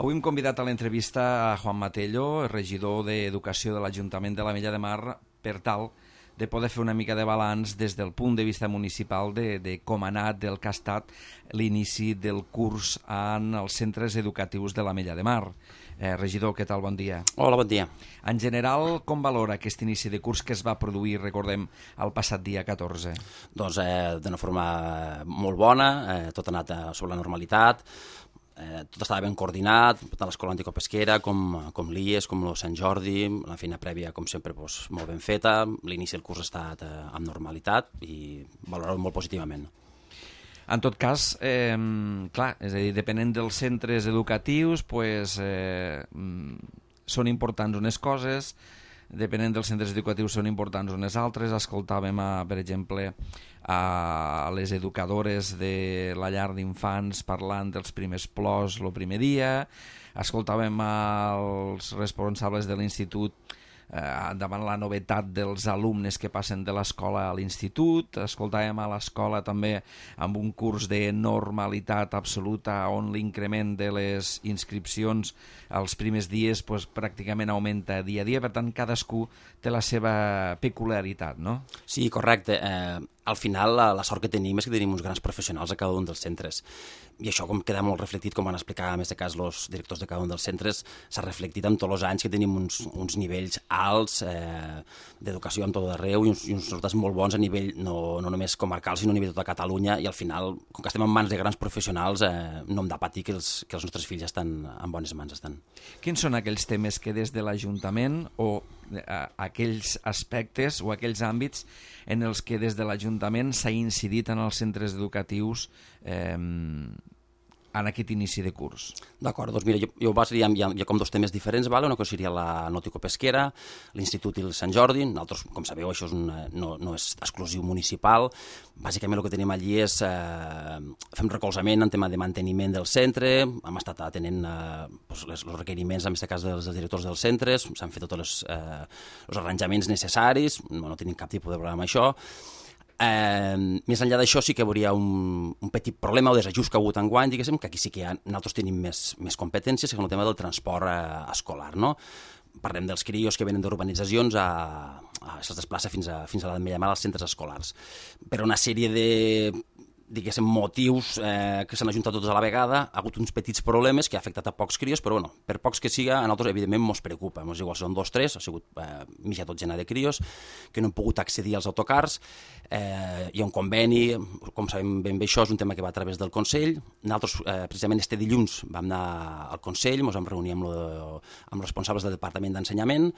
Avui hem convidat a l'entrevista a Juan Matello, regidor d'Educació de l'Ajuntament de l'Ametlla de Mar, per tal de poder fer una mica de balanç des del punt de vista municipal de com ha anat, del que ha estat l'inici del curs en els centres educatius de l'Ametlla de Mar. Regidor, què tal? Bon dia. Hola, bon dia. En general, com valora aquest inici de curs que es va produir, recordem, el passat dia 14? Doncs d'una forma molt bona, tot ha anat sobre la normalitat, tot estava ben coordinat, tant l'escola anticopesquera com l'IES, com el Sant Jordi, la feina prèvia, com sempre, molt ben feta, l'inici del curs ha estat amb normalitat i valorado molt positivament. En tot cas, clar, és a dir, depenent dels centres educatius, són importants unes coses, depenent dels centres educatius són importants unes altres. Escoltàvem, per exemple, a les educadores de la llar d'infants parlant dels primers plors el primer dia, escoltàvem als responsables de l'institut davant la novetat dels alumnes que passen de l'escola a l'institut, escoltàvem a l'escola també amb un curs de normalitat absoluta on l'increment de les inscripcions els primers dies pràcticament augmenta dia a dia, per tant cadascú té la seva peculiaritat, no? Sí, correcte. Al final la sort que tenim és que tenim uns grans professionals a cada un dels centres i això com queda molt reflectit, com van explicar en aquest cas els directors de cada un dels centres, s'ha reflectit en tots els anys que tenim uns nivells alts d'educació en tot arreu i uns resultats molt bons a nivell no només comarcal sinó a nivell de tota Catalunya, i al final, com que estem en mans de grans professionals, no hem de patir que els nostres fills estan en bones mans. Quins són aquells temes que des de l'Ajuntament o aquells aspectes o aquells àmbits en els que des de l'Ajuntament s'ha incidit en els centres educatius en aquest inici de curs? D'acord, doncs mira, jo ho basaria hi ha com dos temes diferents, una cosa seria la nauticopesquera, l'Institut i el Sant Jordi. Nosaltres, com sabeu, això no és exclusiu municipal. Bàsicament el que tenim allí és fem recolzament en tema de manteniment del centre, hem estat atenent els requeriments, en aquest cas dels directors dels centres, s'han fet tots els arranjaments necessaris, no tenim cap tipus de problema amb això. Més enllà d'això sí que hi hauria un petit problema o desajust que ha hagut enguany, diguéssim, que aquí sí que nosaltres tenim més competències, que és el tema del transport escolar, no? Parlem dels crios que venen d'urbanitzacions, se'ls desplaça fins a l'Ametlla de Mar als centres escolars. Per una sèrie de motius que s'han ajuntat tots a la vegada, ha hagut uns petits problemes que ha afectat a pocs crios, però per pocs que siga, a nosaltres evidentment ens preocupa. Ens igual són 2 o 3, ha sigut mitja dotzena de crios que no han pogut accedir als autocars. Hi ha un conveni, com sabem ben bé això és un tema que va a través del Consell. Nosaltres precisament este dilluns vam anar al Consell, ens vam reunir amb els responsables del Departament d'Ensenyament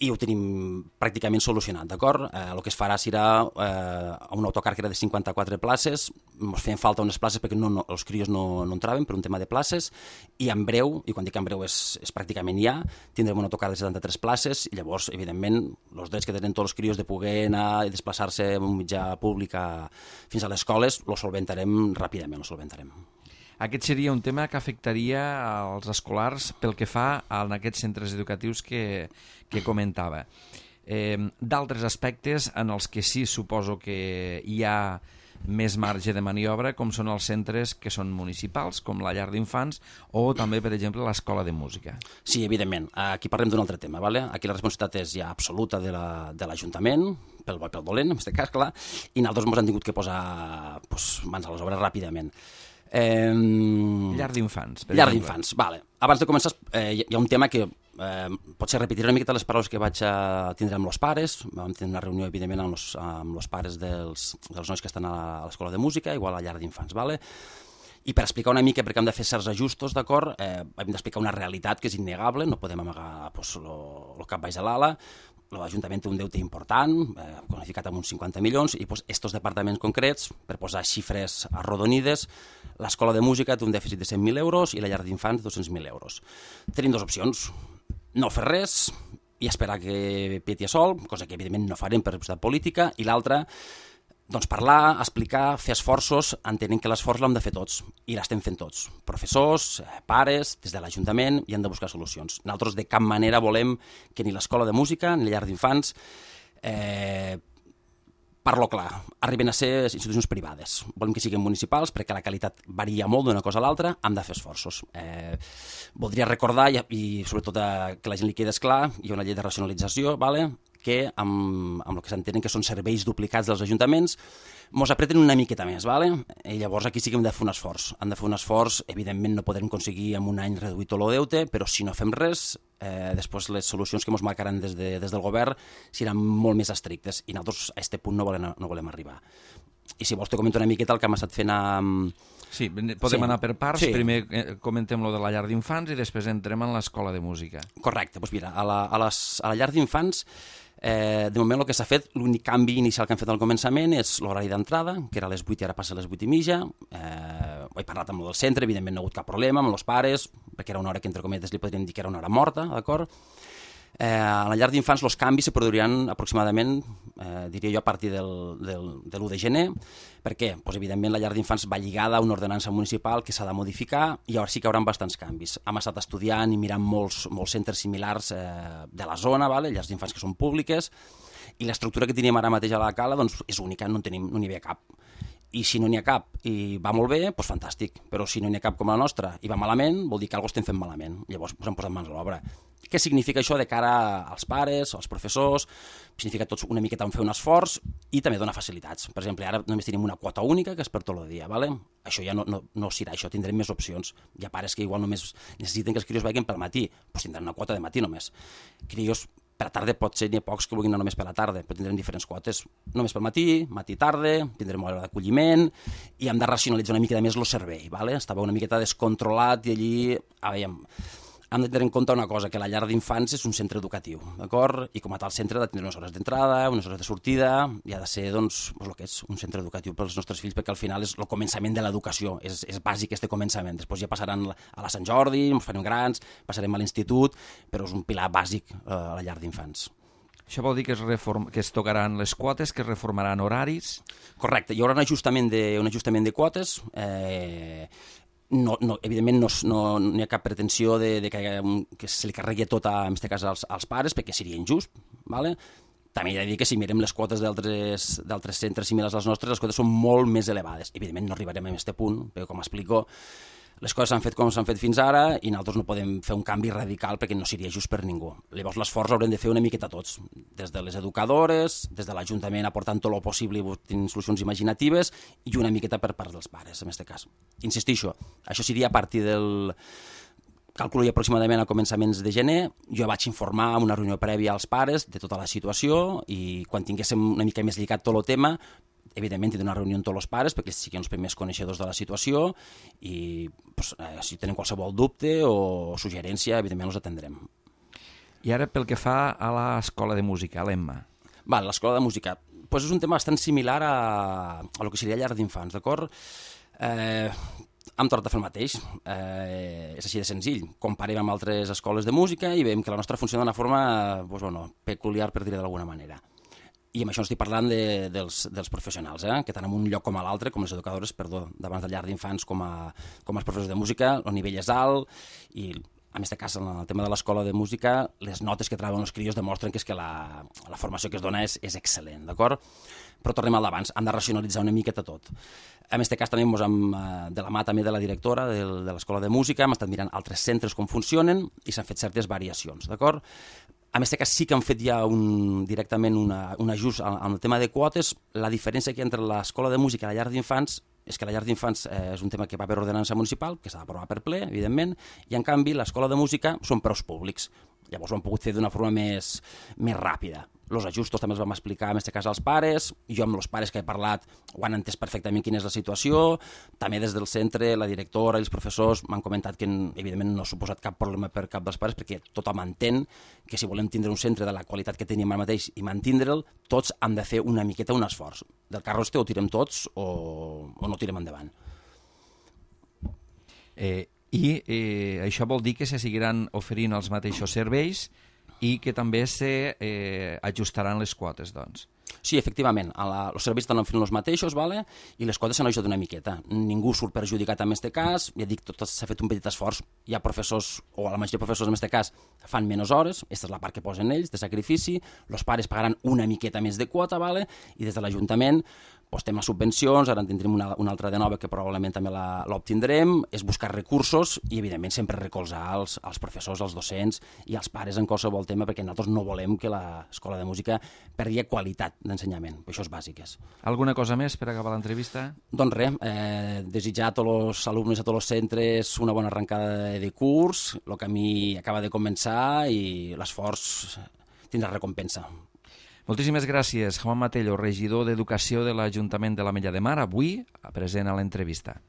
i ho tenim pràcticament solucionat, d'acord? El que es farà serà un autocar que era de 54 places, ens feien falta unes places perquè els crios no entraven per un tema de places, i en breu, i quan dic en breu és pràcticament ja, tindrem un autocar de 73 places, i llavors, evidentment, els drets que tenen tots els crios de poder anar i desplaçar-se en un mitjà públic fins a les escoles, lo solventarem ràpidament, lo solventarem. Aquest seria un tema que afectaria als escolars pel que fa a aquests centres educatius que comentava. D'altres aspectes en els que sí suposo que hi ha més marge de maniobra, com són els centres que són municipals, com la llar d'infants o també, per exemple, l'escola de música. Sí, evidentment. Aquí parlem d'un altre tema. Aquí la responsabilitat és ja absoluta de l'Ajuntament, pel bo i pel dolent, en aquest cas, clar, i nosaltres ens hem tingut que posar mans a les obres ràpidament. Llar d'infants. Llar d'infants, vale. Abans de començar, hi ha un tema que potser repetiré una miqueta les paraules que vaig tindre amb els pares. Vam tenir una reunió, evidentment, amb els pares dels nois que estan a l'escola de música, igual a la llar d'infants, vale? I per explicar una mica, perquè hem de fer certs ajustos, d'acord, hem d'explicar una realitat que és innegable, no podem amagar el cap baix de l'ala. L'Ajuntament té un deute important, qualificat amb uns 50 milions, i estos departaments concrets, per posar xifres arrodonides, l'escola de música té un dèficit de 100.000 euros i la llar d'infants 200.000 euros. Tenim dues opcions: no fer res i esperar que peti a sol, cosa que evidentment no farem per responsabilitat política, i l'altra, doncs parlar, explicar, fer esforços, entenent que l'esforç l'hem de fer tots, i l'estem fent tots. Professors, pares, des de l'Ajuntament, i hem de buscar solucions. Nosaltres de cap manera volem que ni l'escola de música ni la llar d'infants Parlo clar, arriben a ser institucions privades. Volem que siguin municipals perquè la qualitat varia molt d'una cosa a l'altra, hem de fer esforços. Voldria recordar, i sobretot que la gent li quedi clar, hi ha una llei de racionalització, que amb el que s'entenen que són serveis duplicats dels ajuntaments, mos apreten una miqueta més, i llavors aquí sí que hem de fer un esforç. Hem de fer un esforç, evidentment no podrem aconseguir en un any reduir tot el deute, però si no fem res, després les solucions que ens marcaran des del govern seran molt més estrictes i nosaltres a aquest punt no volem arribar. I si vols te comento una miqueta el que hem estat fent Sí, podem anar per parts. Primer comentem lo de la llar d'infants i després entrem en l'escola de música. Correcte, doncs mira, a la llar d'infants de moment el que s'ha fet, l'únic canvi inicial que hem fet al començament és l'horari d'entrada, que era a les 8 i ara passa a les 8:30. He parlat amb el del centre, evidentment no ha hagut cap problema amb els pares, perquè era una hora que entre cometes li podríem dir que era una hora morta, d'acord? A la llar d'infants els canvis se produiran aproximadament, diria jo, a partir de l'1 de gener. Per què? Doncs, evidentment, la llar d'infants va lligada a una ordenança municipal que s'ha de modificar i llavors sí que hi haurà bastants canvis. Hem estat estudiant i mirant molts centres similars de la zona, llars d'infants que són públiques, i l'estructura que teníem ara mateix a la Cala doncs, és única, no n'hi havia cap. I si no n'hi ha cap i va molt bé, doncs fantàstic. Però si no n'hi ha cap com la nostra i va malament, vol dir que alguna cosa estem fent malament. Llavors ens hem posat mans a l'obra. Què significa això de cara als pares, als professors? Significa tots una miqueta fer un esforç i també donar facilitats. Per exemple, ara només tenim una quota única que és per tot el dia. Això ja no serà això, tindrem més opcions. Hi ha pares que igual només necessiten que els crios vagin pel matí, doncs tindran una quota de matí només. Crios per la tarda pot ser, n'hi ha pocs que vulguin anar només per la tarda, però tindrem diferents quotes. Només pel matí, matí-tarda, tindrem hora d'acolliment i hem de racionalitzar una miqueta més el servei. Estava una miqueta descontrolat i allí, hem de tenir en compte una cosa, que la llar d'infants és un centre educatiu, d'acord? I com a tal centre ha de tenir unes hores d'entrada, unes hores de sortida, i ha de ser, doncs, el que és un centre educatiu pels nostres fills, perquè al final és el començament de l'educació, és bàsic este començament. Després ja passaran a la Sant Jordi, ens farem grans, passarem a l'institut, però és un pilar bàsic a la llar d'infants. Això vol dir que es tocaran les quotes, que es reformaran horaris? Correcte, hi haurà un ajustament de quotes. Evidentment no hi ha cap pretensió que se li carregui tot, en aquest cas, als pares, perquè seria injust. També he de dir que si mirem les quotes d'altres centres similars als nostres, les quotes són molt més elevades. Evidentment no arribarem a aquest punt, perquè com explico, les coses s'han fet com s'han fet fins ara i nosaltres no podem fer un canvi radical perquè no seria just per ningú. Llavors l'esforç haurem de fer una miqueta tots, des de les educadores, des de l'Ajuntament aportant tot el possible i tenint solucions imaginatives i una miqueta per part dels pares, en aquest cas. Insistixo, això seria a partir del... Calculo aproximadament a començaments de gener. Jo vaig informar en una reunió prèvia als pares de tota la situació i quan tinguéssim una mica més lligat tot el tema, evidentment tindrem una reunió amb tots els pares perquè siguin els primers coneixedors de la situació i si tenen qualsevol dubte o suggerència, evidentment els atendrem. I ara pel que fa a l'escola de música, a l'Emma. L'escola de música. És un tema bastant similar a el que seria llar d'infants, d'acord? Hem tornat a fer el mateix. És així de senzill. Comparem amb altres escoles de música i veiem que la nostra funciona d'una forma peculiar, per dir-ho d'alguna manera. I amb això no estic parlant dels professionals, que tant en un lloc com a l'altre, com les educadores, davant de llar d'infants com els professors de música, el nivell és alt i, en aquest cas, en el tema de l'escola de música, les notes que treuen els crios demostren que la formació que es dona és excel·lent, d'acord? Però tornem al d'abans, hem de racionalitzar una miqueta tot. En aquest cas també de la mà també de la directora de l'escola de música hem estat mirant altres centres com funcionen i s'han fet certes variacions, d'acord? En aquest cas sí que han fet ja directament un ajust en el tema de quotes. La diferència que hi ha entre l'escola de música i la llar d'infants és que la llar d'infants és un tema que va per ordenança municipal, que s'ha d'aprovar per ple, evidentment, i en canvi l'escola de música són preus públics. Llavors ho han pogut fer d'una forma més ràpida. Els ajustos també els vam explicar, en aquest cas, als pares. Jo amb els pares que he parlat ho han entès perfectament quina és la situació. També des del centre, la directora i els professors m'han comentat que, evidentment, no ha suposat cap problema per cap dels pares, perquè tothom entén que si volem tindre un centre de la qualitat que tenim ara mateix i mantindre'l, tots hem de fer una miqueta un esforç. Del carro este o tirem tots o no tirem endavant. Això vol dir que se seguiran oferint els mateixos serveis i que també s'ajustaran les quotes, doncs. Sí, efectivament, els serveis estan fent els mateixos, vale? I les coses s'han ajudat una miqueta. Ningú surt perjudicat en aquest cas, ja dic, tot s'ha fet un petit esforç. Hi ha professors, o la majoria de professors en aquest cas, fan menys hores, aquesta és la part que posen ells, de sacrifici, els pares pagaran una miqueta més de quota, vale? I des de l'Ajuntament estem a subvencions, ara en tindrem una altra de nova que probablement també l'obtindrem, és buscar recursos i, evidentment, sempre recolzar els professors, els docents i els pares en qualsevol tema, perquè nosaltres no volem que l'escola de música perdi qualitat d'ensenyament. Això és bàsic. Alguna cosa més per acabar l'entrevista? Doncs res, desitjar a tots els alumnes, a tots els centres una bona arrencada de curs, el camí acaba de començar i l'esforç tindrà recompensa. Moltíssimes gràcies, Joan Matello, regidor d'Educació de l'Ajuntament de l'Ametlla de Mar, avui present a l'entrevista.